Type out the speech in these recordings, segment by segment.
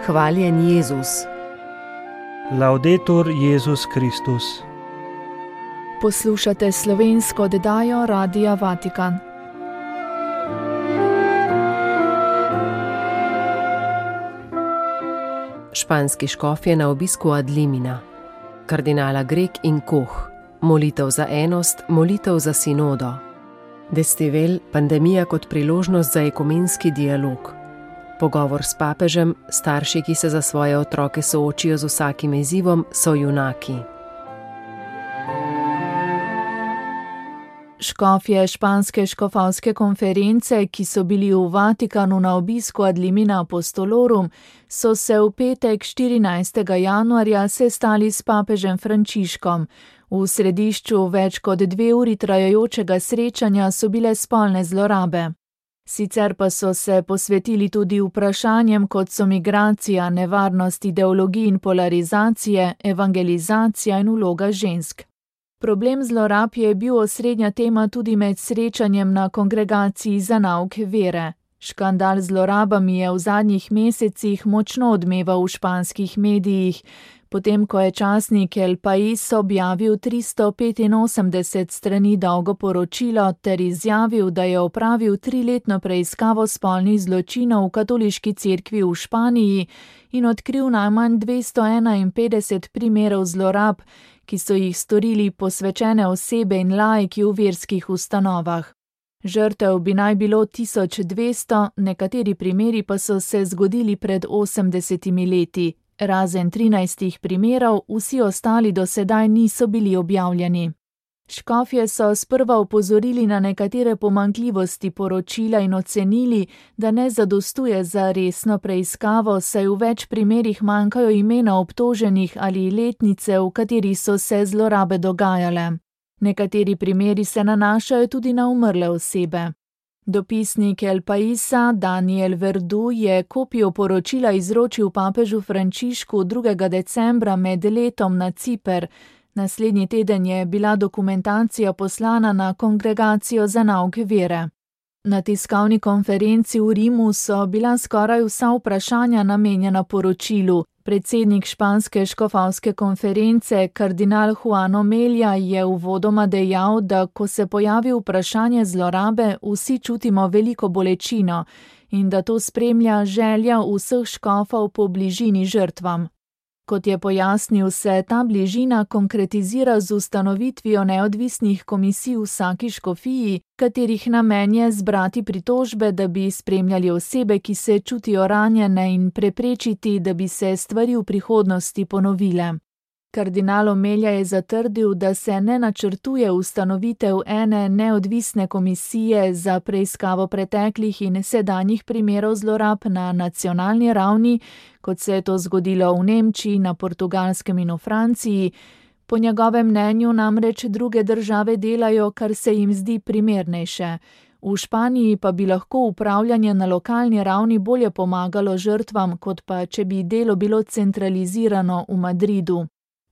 Hvaljen Jezus. Laudetur Jezus Kristus. Poslušate slovensko oddajo Radia Vatikan. Španski škofje na obisku ad limina. Kardinala Grek in Koh. Molitev za enost, molitev za sinodo. Destivel, pandemija kot priložnost za ekumenski dialog. Pogovor s papežem, starši, ki se za svoje otroke soočijo z vsakim izzivom, so junaki. Škofje španske škofovske konference, ki so bili v Vatikanu na obisku ad limina apostolorum, so se v petek 14. januarja sestali s papežem Frančiškom. V središču več kot 2 uri trajajočega srečanja so bile spolne zlorabe. Sicer pa so se posvetili tudi vprašanjem, kot so migracija, nevarnost ideologij in polarizacije, evangelizacija in vloga žensk. Problem zlorab je bil osrednja tema tudi med srečanjem na kongregaciji za nauk vere. Škandal z zlorabami je v zadnjih mesecih močno odmeval v španskih medijih, potem ko je časnik El País objavil 385 strani dolgo poročilo ter izjavil, da je opravil 3-letno preiskavo spolnih zločinov v katoliški cerkvi v Španiji in odkril najmanj 251 primerov zlorab, ki so jih storili posvečene osebe in laiki v verskih ustanovah. Žrtev bi naj bilo 1200, nekateri primeri pa so se zgodili pred 80 leti. Razen 13 primerov, vsi ostali do sedaj niso bili objavljeni. Škofje so sprva opozorili na nekatere pomanjkljivosti poročila in ocenili, da ne zadostuje za resno preiskavo, saj v več primerih manjkajo imena obtoženih ali letnice, v kateri so se zlorabe dogajale. Nekateri primeri se nanašajo tudi na umrle osebe. Dopisnik El Paísa Daniel Verdu je kopijo poročila izročil papežu Frančišku 2. decembra med letom na Ciper. Naslednji teden je bila dokumentacija poslana na kongregacijo za nauk vere. Na tiskovni konferenci v Rimu so bila skoraj vsa vprašanja namenjena poročilu. Predsednik španske škofovske konference, kardinal Juan Omelia, je uvodoma dejal, da ko se pojavi vprašanje zlorabe, vsi čutimo veliko bolečino in da to spremlja želja vseh škofov po bližini žrtvam. Kot je pojasnil, se ta bližina konkretizira z ustanovitvijo neodvisnih komisij v vsaki škofiji, katerih namen je zbrati pritožbe, da bi spremljali osebe, ki se čutijo ranjene in preprečiti, da bi se stvari v prihodnosti ponovile. Kardinal Omelja je zatrdil, da se ne načrtuje ustanovitev ene neodvisne komisije za preiskavo preteklih in sedanjih primerov zlorab na nacionalni ravni, kot se je to zgodilo v Nemčiji, na Portugalskem in v Franciji. Po njegovem mnenju namreč druge države delajo, kar se jim zdi primernejše. V Španiji pa bi lahko upravljanje na lokalni ravni bolje pomagalo žrtvam, kot pa če bi delo bilo centralizirano v Madridu.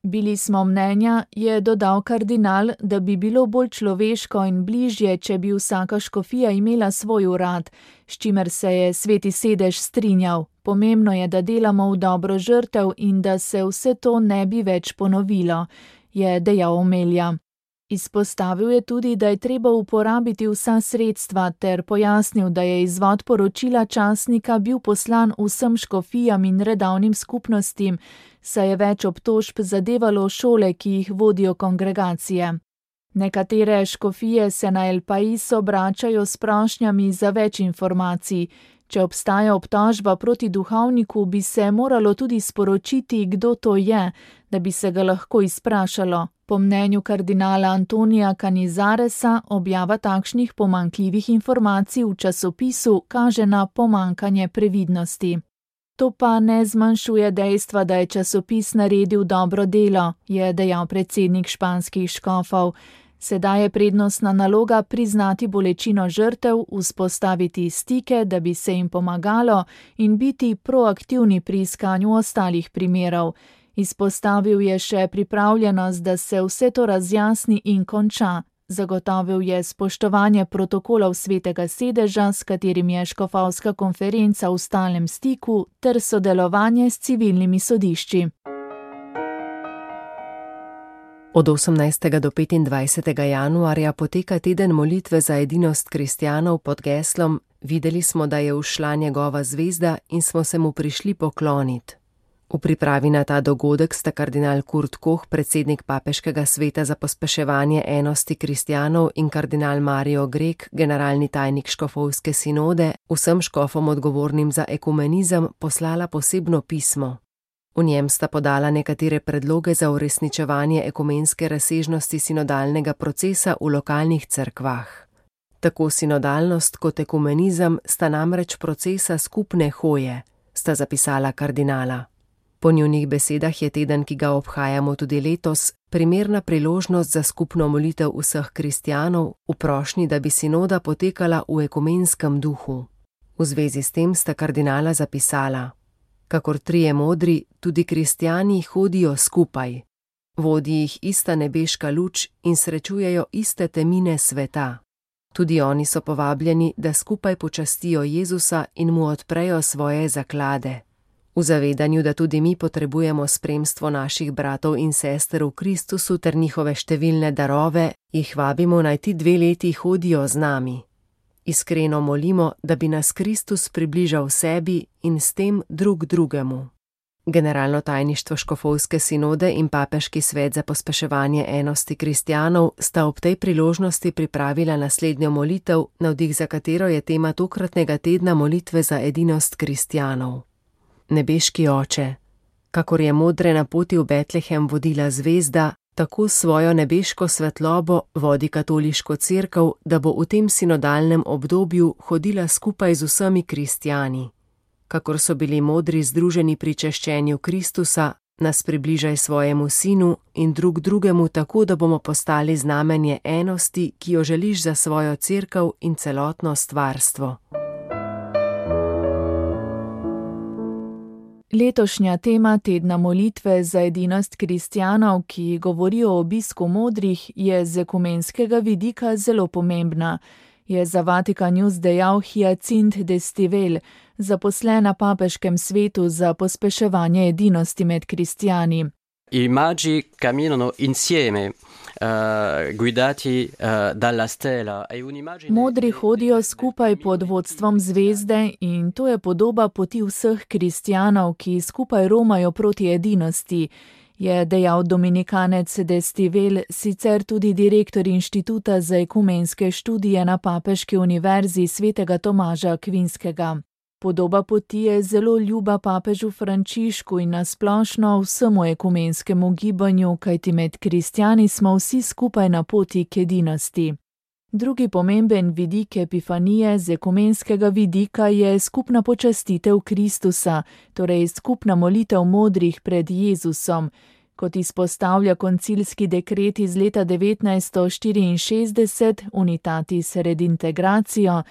Bili smo mnenja, je dodal kardinal, da bi bilo bolj človeško in bližje, če bi vsaka škofija imela svoj urad, s čimer se je Sveti sedež strinjal. Pomembno je, da delamo v dobro žrtev in da se vse to ne bi več ponovilo, je dejal Omelja. Izpostavil je tudi, da je treba uporabiti vsa sredstva ter pojasnil, da je izvod poročila časnika bil poslan vsem škofijam in redovnim skupnostim, saj je več obtožb zadevalo šole, ki jih vodijo kongregacije. Nekatere škofije se na El País obračajo s prošnjami za več informacij. Če obstaja obtožba proti duhovniku, bi se moralo tudi sporočiti, kdo to je, da bi se ga lahko izprašalo. Po mnenju kardinala Antonija Canizaresa objava takšnih pomanjkljivih informacij v časopisu kaže na pomanjkanje previdnosti. To pa ne zmanjšuje dejstva, da je časopis naredil dobro delo, je dejal predsednik španskih škofov. Sedaj je prednostna naloga priznati bolečino žrtev, vzpostaviti stike, da bi se jim pomagalo in biti proaktivni pri iskanju ostalih primerov. Izpostavil je še pripravljenost, da se vse to razjasni in konča. Zagotovil je spoštovanje protokolov Svetega sedeža, s katerim je škofovska konferenca v stalnem stiku, ter sodelovanje s civilnimi sodišči. Od 18. do 25. januarja poteka teden molitve za edinost kristjanov pod geslom Videli smo, da je ušla njegova zvezda in smo se mu prišli pokloniti. V pripravi na ta dogodek sta kardinal Kurt Koch, predsednik Papeškega sveta za pospeševanje enosti kristjanov, in kardinal Mario Grek, generalni tajnik škofovske sinode, vsem škofom odgovornim za ekumenizem poslala posebno pismo. V njem sta podala nekatere predloge za uresničevanje ekumenske razsežnosti sinodalnega procesa v lokalnih cerkvah. Tako sinodalnost kot ekumenizem sta namreč procesa skupne hoje, sta zapisala kardinala. Po njunih besedah je teden, ki ga obhajamo tudi letos, primerna priložnost za skupno molitev vseh kristjanov v prošnji, da bi sinoda potekala v ekumenskem duhu. V zvezi s tem sta kardinala zapisala: Kakor trije modri, tudi kristjani hodijo skupaj. Vodi jih ista nebeška luč in srečujejo iste temine sveta. Tudi oni so povabljeni, da skupaj počastijo Jezusa in mu odprejo svoje zaklade. V zavedanju, da tudi mi potrebujemo spremstvo naših bratov in sester v Kristusu ter njihove številne darove, jih vabimo, naj ti 2 leti hodijo z nami. Iskreno molimo, da bi nas Kristus približal sebi in s tem drug drugemu. Generalno tajništvo škofovske sinode in Papeški svet za pospeševanje enosti kristjanov sta ob tej priložnosti pripravila naslednjo molitev, navdih za katero je tema tokratnega tedna molitve za edinost kristjanov. Nebeški Oče, kakor je modre na poti v Betlehem vodila zvezda, tako svojo nebeško svetlobo vodi katoliško cerkev, da bo v tem sinodalnem obdobju hodila skupaj z vsemi kristjani. Kakor so bili modri združeni pri češčenju Kristusa, nas približaj svojemu sinu in drug drugemu tako, da bomo postali znamenje enosti, ki jo želiš za svojo cerkev in celotno stvarstvo. Letošnja tema tedna molitve za edinost kristjanov, ki govori o obisku modrih, je z ekumenskega vidika zelo pomembna, je za Vatikan News dejal Hyacinthe d'Estivelle, zaposlen na Papeškem svetu za pospeševanje edinosti med kristjani. I magi camminano insieme, guidati dalla stella. Modri hodijo skupaj pod vodstvom zvezde in to je podoba poti vseh kristjanov, ki skupaj romajo proti edinosti, je dejal dominikanec d'Estivelle, sicer tudi direktor Inštituta za ekumenske študije na Papeški univerzi svetega Tomaža Akvinskega. Podoba poti je zelo ljuba papežu Frančišku in nasplošno vsemu ekumenskemu gibanju, kajti med kristjani smo vsi skupaj na poti k edinosti. Drugi pomemben vidik epifanije z ekumenskega vidika je skupna počastitev Kristusa, torej skupna molitev modrih pred Jezusom. Kot izpostavlja koncilski dekret iz leta 1964 Unitatis Redintegratio,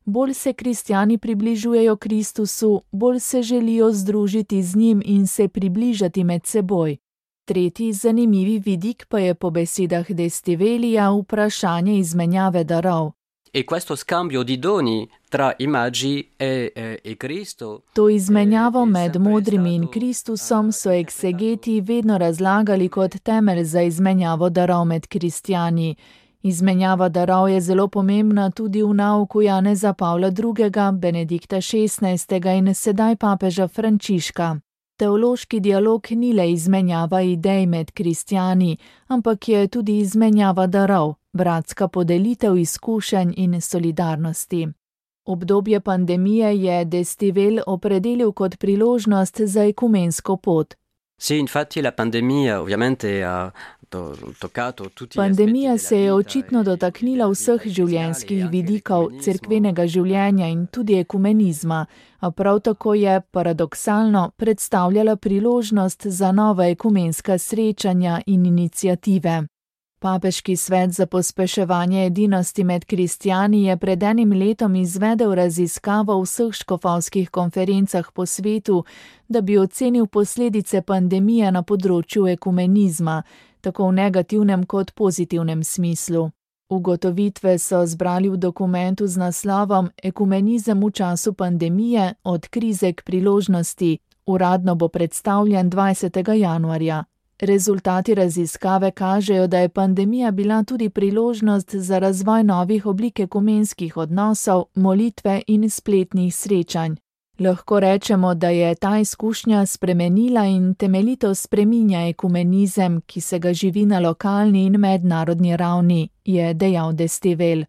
bolj se kristjani približujejo Kristusu, bolj se želijo združiti z njim in se približati med seboj. Tretji zanimivi vidik pa je po besedah d'Estivelija vprašanje izmenjave darov. E questo scambio di doni tra i magi e Cristo. To izmenjavo med modrimi in Kristusom so eksegeti vedno razlagali kot temelj za izmenjavo darov med kristjani. Izmenjava darov je zelo pomembna tudi v nauku Janeza Pavla II., Benedikta XVI. In sedaj papeža Frančiška. Teološki dialog ni le izmenjava idej med kristjani, ampak je tudi izmenjava darov, bratska podelitev izkušenj in solidarnosti. Obdobje pandemije je d'Estivelle opredelil kot priložnost za ekumensko pot. Sì, infatti la pandemia ovviamente ha toccato tutti. Pandemija se je očitno dotaknila vseh življenjskih vidikov cerkvenega življenja in tudi ekumenizma, a prav tako je, paradoksalno, predstavljala priložnost za nova ekumenska srečanja in iniciative. Papeški svet za pospeševanje edinosti med kristjani je pred enim letom izvedel raziskavo v vseh škofovskih konferencah po svetu, da bi ocenil posledice pandemije na področju ekumenizma, tako v negativnem kot pozitivnem smislu. Ugotovitve so zbrali v dokumentu z naslovom Ekumenizem v času pandemije od krize k priložnosti. Uradno bo predstavljen 20. januarja. Rezultati raziskave kažejo, da je pandemija bila tudi priložnost za razvoj novih oblik ekumenskih odnosov, molitve in spletnih srečanj. Lahko rečemo, da je ta izkušnja spremenila in temeljito spreminja ekumenizem, ki se ga živi na lokalni in mednarodni ravni, je dejal Destivel.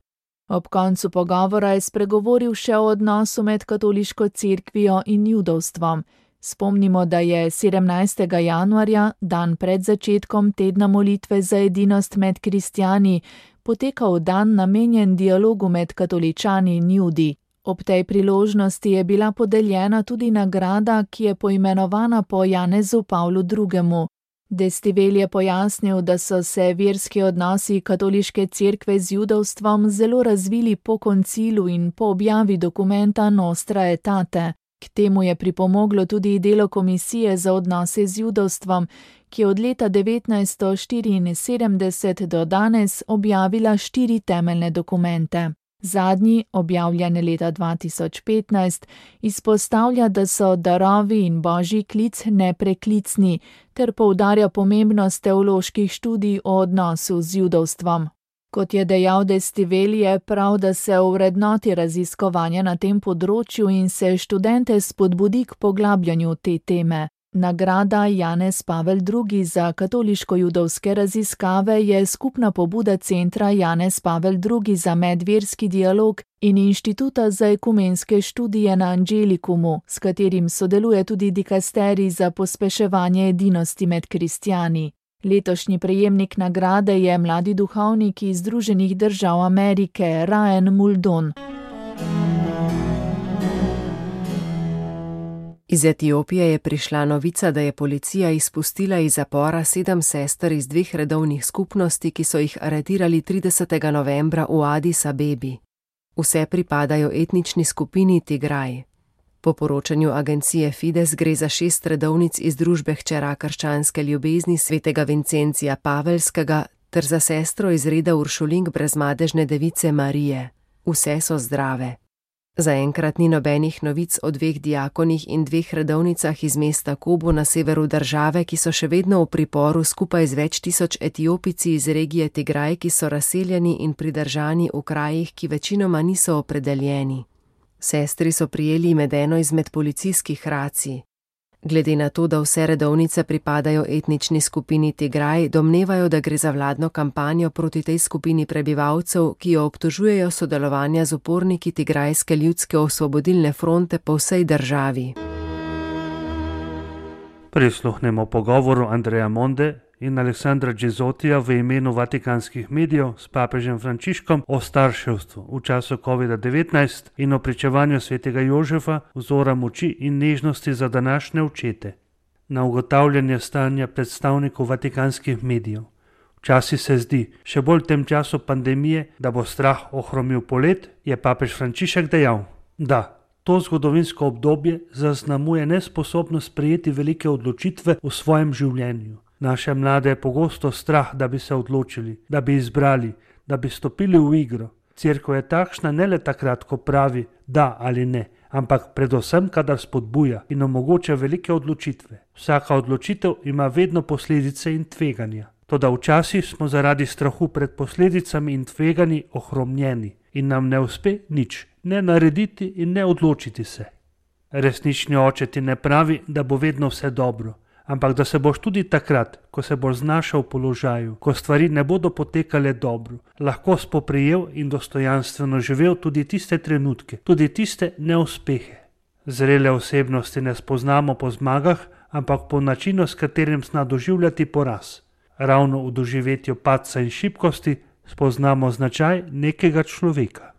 Ob koncu pogovora je spregovoril še o odnosu med katoliško cerkvijo in judovstvom. Spomnimo, da je 17. januarja, dan pred začetkom tedna molitve za edinost med kristjani, potekal dan namenjen dialogu med katoličani in judi. Ob tej priložnosti je bila podeljena tudi nagrada, ki je poimenovana po Janezu Pavlu II. Destivel je pojasnil, da so se verski odnosi katoliške cerkve z judovstvom zelo razvili po koncilu in po objavi dokumenta Nostra Aetate. K temu je pripomoglo tudi delo Komisije za odnose z judovstvom, ki je od leta 1974 do danes objavila 4 temeljne dokumente. Zadnji, objavljen leta 2015, izpostavlja, da so darovi in božji klic nepreklicni, ter poudarja pomembnost teoloških študij o odnosu z judovstvom. Kot je dejal Destivel, je prav, da se ovrednoti raziskovanja na tem področju in se študente spodbudi k poglabljanju te teme. Nagrada Janez Pavel II. Za katoliško-judovske raziskave je skupna pobuda centra Janez Pavel II. Za medverski dialog in Inštituta za ekumenske študije na Angelikumu, s katerim sodeluje tudi dikasterij za pospeševanje edinosti med kristjani. Letošnji prejemnik nagrade je mladi duhovnik iz Združenih držav Amerike, Ryan Muldoon. Iz Etiopije je prišla novica, da je policija izpustila iz zapora 7 sester iz 2 redovnih skupnosti, ki so jih aretirali 30. novembra v Adis Abebi. Vse pripadajo etnični skupini Tigraj. Po poročanju agencije Fides gre za 6 redovnic iz družbe hčera krščanske ljubezni svetega Vincencija Pavelskega ter za sestro iz reda Uršulink brezmadežne device Marije. Vse so zdrave. Zaenkrat ni nobenih novic o 2 diakonih in 2 redovnicah iz mesta Kobo na severu države, ki so še vedno v priporu skupaj z več tisoč Etiopici iz regije Tigraj, ki so razseljeni in pridržani v krajih, ki večinoma niso opredeljeni. Sestri so prijeli med eno izmed policijskih racij. Glede na to, da vse redovnice pripadajo etnični skupini Tigraj, domnevajo, da gre za vladno kampanjo proti tej skupini prebivalcev, ki jo obtožujejo sodelovanja z uporniki Tigrajske ljudske osvobodilne fronte po vsej državi. Prisluhnemo pogovoru Andreja Monde in Aleksandra Džezotija v imenu vatikanskih medijev s papežem Frančiškom o starševstvu v času COVID-19 in o pričevanju svetega Jožefa, vzora moči in nežnosti za današnje očete. Na ugotavljanje stanja predstavnikov vatikanskih medijev. Včasih se zdi, še bolj v tem času pandemije, da bo strah ohromil polet, je papež Frančišek dejal, da to zgodovinsko obdobje zaznamuje nesposobnost sprejeti velike odločitve v svojem življenju. Naše mlade je pogosto strah, da bi se odločili, da bi izbrali, da bi stopili v igro. Cerkev je takšna ne le takrat, ko pravi da ali ne, ampak predvsem, kadar spodbuja in omogoča velike odločitve. Vsaka odločitev ima vedno posledice in tveganja. Toda včasih smo zaradi strahu pred posledicami in tveganji ohromljeni in nam ne uspe nič, ne narediti in ne odločiti se. Resnični oče ti ne pravi, da bo vedno vse dobro, ampak da se boš tudi takrat, ko se boš znašel v položaju, ko stvari ne bodo potekale dobro, lahko spoprijel in dostojanstveno živel tudi tiste trenutke, tudi tiste neuspehe. Zrele osebnosti ne spoznamo po zmagah, ampak po načinu, s katerim zna doživljati poraz. Ravno v doživetju padca in šibkosti spoznamo značaj nekega človeka.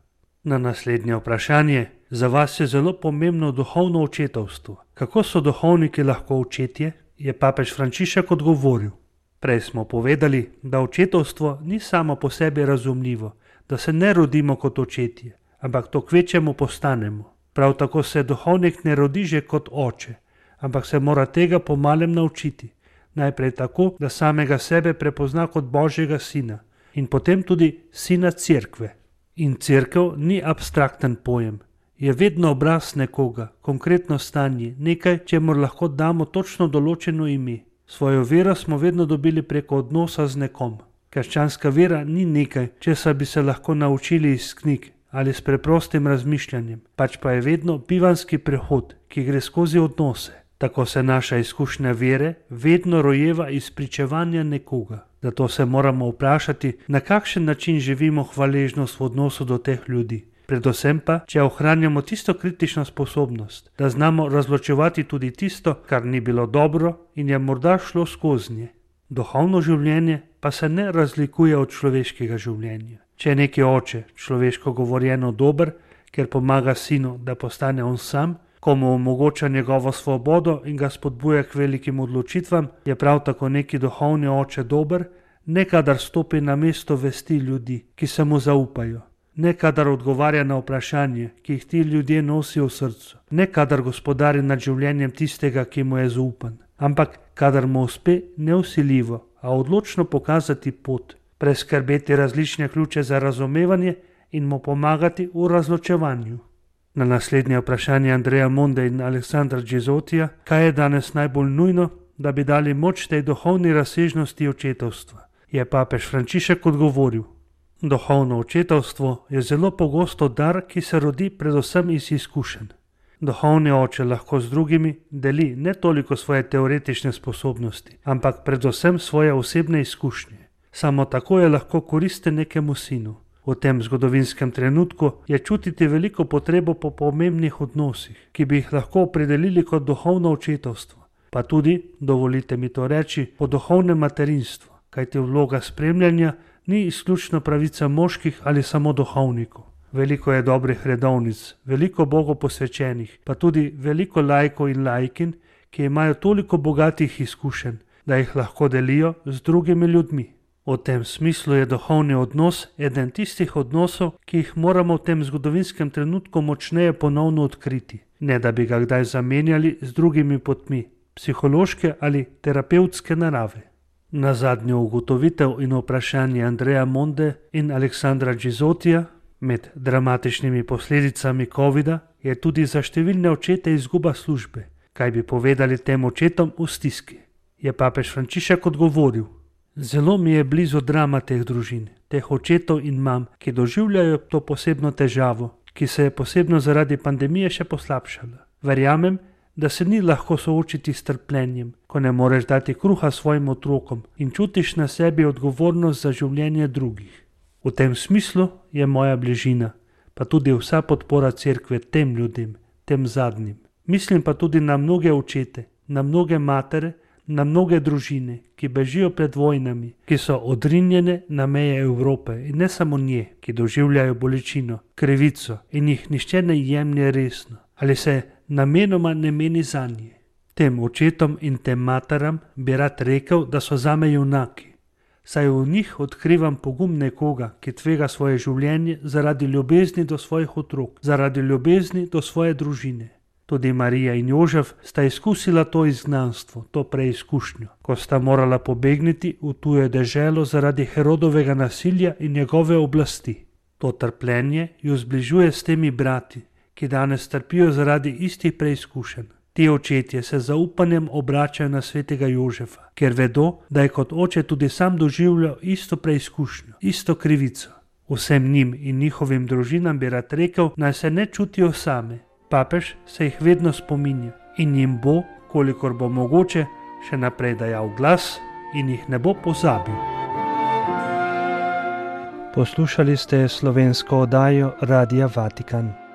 Na naslednje vprašanje, za vas je zelo pomembno duhovno očetovstvo. Kako so duhovniki lahko očetje? Je papež Frančišek odgovoril. Prej smo povedali, da očetovstvo ni samo po sebi razumljivo, da se ne rodimo kot očetje, ampak to kvečjemu postanemo. Prav tako se duhovnik ne rodi že kot oče, ampak se mora tega pomalem naučiti. Najprej tako, da samega sebe prepozna kot Božjega sina in potem tudi sina cerkve. In cerkev ni abstrakten pojem. Je vedno obraz nekoga, konkretno stanje, nekaj, čemur lahko damo točno določeno ime. Svojo vero smo vedno dobili preko odnosa z nekom. Krščanska vera ni nekaj, česar bi se lahko naučili iz knjig ali s preprostim razmišljanjem, pač pa je vedno bivanski prehod, ki gre skozi odnose. Tako se naša izkušnja vere vedno rojeva iz pričevanja nekoga. Zato se moramo vprašati, na kakšen način živimo hvaležnost v odnosu do teh ljudi. Predvsem pa, če ohranjamo tisto kritično sposobnost, da znamo razločevati tudi tisto, kar ni bilo dobro in je morda šlo skozi nje. Duhovno življenje pa se ne razlikuje od človeškega življenja. Če je neki oče, človeško govorjeno, dober, ker pomaga sinu, da postane on sam, ko mu omogoča njegovo svobodo in ga spodbuja k velikim odločitvam, je prav tako neki duhovni oče dober, ne kadar stopi na mesto vesti ljudi, ki se mu zaupajo, ne kadar odgovarja na vprašanje, ki jih ti ljudje nosijo v srcu, ne kadar gospodari nad življenjem tistega, ki mu je zaupan, ampak kadar mu uspe nevsiljivo, a odločno pokazati pot, preskrbeti različne ključe za razumevanje in mu pomagati v razločevanju. Na naslednje vprašanje Andreja Monde in Aleksandra Džezotija, kaj je danes najbolj nujno, da bi dali moč tej duhovni razsežnosti očetovstva, je papež Frančišek odgovoril: duhovno očetovstvo je zelo pogosto dar, ki se rodi predvsem iz izkušenj. Duhovni oče lahko z drugimi deli ne toliko svoje teoretične sposobnosti, ampak predvsem svoje osebne izkušnje. Samo tako je lahko koristen nekemu sinu. V tem zgodovinskem trenutku je čutiti veliko potrebo po pomembnih odnosih, ki bi jih lahko opredelili kot duhovno očetovstvo, pa tudi, dovolite mi to reči, po duhovnem materinstvu, kajti vloga spremljanja ni izključno pravica moških ali samo duhovnikov. Veliko je dobrih redovnic, veliko Bogu posvečenih, pa tudi veliko laikov in laikin, ki imajo toliko bogatih izkušenj, da jih lahko delijo z drugimi ljudmi. V tem smislu je duhovni odnos eden tistih odnosov, ki jih moramo v tem zgodovinskem trenutku močneje ponovno odkriti, ne da bi ga kdaj zamenjali z drugimi potmi, psihološke ali terapevtske narave. Na zadnjo ugotovitev in vprašanje Andreja Monde in Aleksandra Džezotija, med dramatičnimi posledicami covida je tudi za številne očete izguba službe. Kaj bi povedali tem očetom v stiski? Je papež Frančišek odgovoril: zelo mi je blizu drama teh družin, teh očetov in mam, ki doživljajo to posebno težavo, ki se je posebno zaradi pandemije še poslabšala. Verjamem, da se ni lahko soočiti s trpljenjem, ko ne moreš dati kruha svojim otrokom in čutiš na sebi odgovornost za življenje drugih. V tem smislu je moja bližina, pa tudi vsa podpora cerkve tem ljudem, tem zadnjim. Mislim pa tudi na mnoge očete, na mnoge matere, na mnoge družine, ki bežijo pred vojnami, ki so odrinjene na meje Evrope in ne samo nje, ki doživljajo bolečino, krivico in jih nihče ne jemlje resno ali se namenoma ne meni zanje. Tem očetom in tem materam bi rad rekel, da so zame junaki, saj v njih odkrivam pogum nekoga, ki tvega svoje življenje zaradi ljubezni do svojih otrok, zaradi ljubezni do svoje družine. Tudi Marija in Jožef sta izkusila to izgnanstvo, to preizkušnjo, ko sta morala pobegniti v tujo deželo zaradi Herodovega nasilja in njegove oblasti. To trpljenje ju zbližuje s temi brati, ki danes trpijo zaradi istih preizkušenj. Ti očetje se zaupanjem obračajo na svetega Jožefa, ker vedo, da je kot oče tudi sam doživljal isto preizkušnjo, isto krivico. Vsem njim in njihovim družinam bi rad rekel, naj se ne čutijo same. Papež se jih vedno spominja in jim bo, kolikor bo mogoče, še naprej dajal glas in jih ne bo pozabil. Poslušali ste slovensko oddajo Radia Vatikan.